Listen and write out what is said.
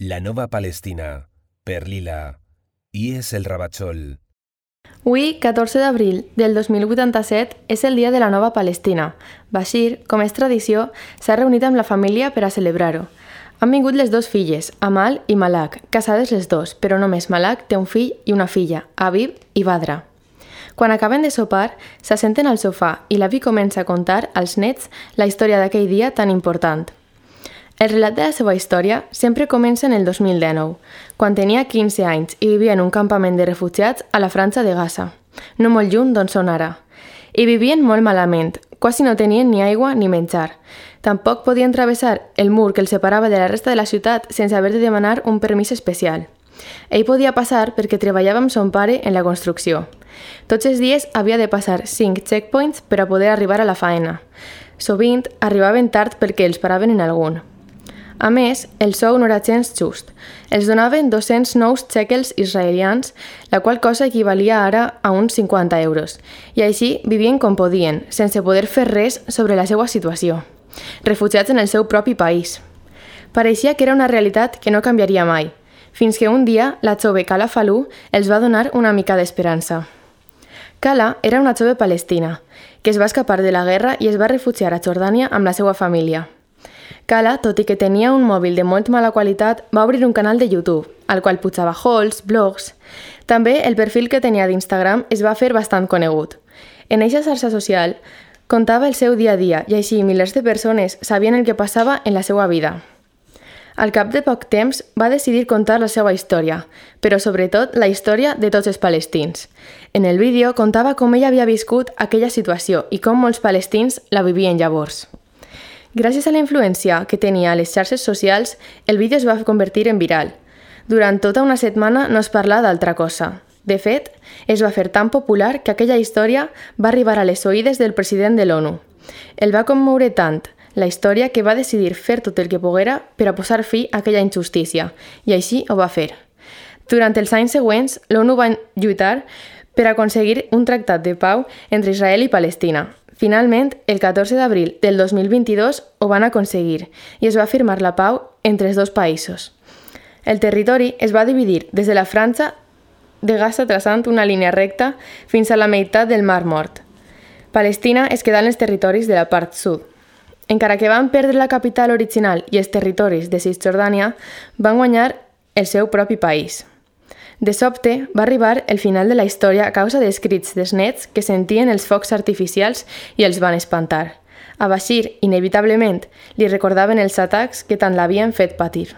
La nova Palestina, per Lila, i és el Rabachol. Avui, 14 d'abril del 2087, és el dia de la nova Palestina. Bashir, com és tradició, s'ha reunit amb la família per a celebrar-ho. Han vingut les dues filles, Amal i Malak, casades les dos, però només Malak té un fill i una filla, Aviv i Badra. Quan acaben de sopar, s'assenten al sofà i l'avi comença a contar als nets la història d'aquell dia tan important. El relat de la seva història sempre comença en el 2019, quan tenia 15 anys i vivia en un campament de refugiats a la Franja de Gaza, no molt lluny d'on són ara. I vivien molt malament, quasi no tenien ni aigua ni menjar. Tampoc podien travessar el mur que els separava de la resta de la ciutat sense haver de demanar un permís especial. Ell podia passar perquè treballava amb son pare en la construcció. Tots els dies havia de passar 5 checkpoints per a poder arribar a la faena. Sovint arribaven tard perquè els paraven en algun. A més, el sou no era gens just. Els donaven 209 shekels israelians, la qual cosa equivalia ara a uns 50 euros, i així vivien com podien, sense poder fer res sobre la seva situació. Refugiats en el seu propi país. Pareixia que era una realitat que no canviaria mai, fins que un dia la jove Kala Falou els va donar una mica d'esperança. Kala era una jove palestina, que es va escapar de la guerra i es va refugiar a Jordània amb la seva família. Kala, tot i que tenia un mòbil de molt mala qualitat, va obrir un canal de YouTube, al qual pujava hauls, blogs. També el perfil que tenia d'Instagram es va fer bastant conegut. En eixa xarxa social contava el seu dia a dia i així milers de persones sabien el que passava en la seva vida. Al cap de poc temps va decidir contar la seva història, però sobretot la història de tots els palestins. En el vídeo contava com ella havia viscut aquella situació i com molts palestins la vivien llavors. Gràcies a la influència que tenia a les xarxes socials, el vídeo es va convertir en viral. Durant tota una setmana no es parla d'altra cosa. De fet, es va fer tan popular que aquella història va arribar a les oïdes del president de l'ONU. El va commoure tant la història que va decidir fer tot el que poguera per a posar fi a aquella injustícia, i així ho va fer. Durant els anys següents, l'ONU va lluitar per aconseguir un tractat de pau entre Israel i Palestina. Finalment, el 14 d'abril del 2022 ho van aconseguir i es va firmar la pau entre els dos països. El territori es va dividir des de la Franja de Gaza traçant una línia recta fins a la meitat del Mar Mort. Palestina es quedà en els territoris de la part sud. Encara que van perdre la capital original i els territoris de Cisjordània, van guanyar el seu propi país. De sobte, va arribar el final de la història a causa dels crits dels nets que sentien els focs artificials i els van espantar. A Bashir, inevitablement, li recordaven els atacs que tant l'havien fet patir.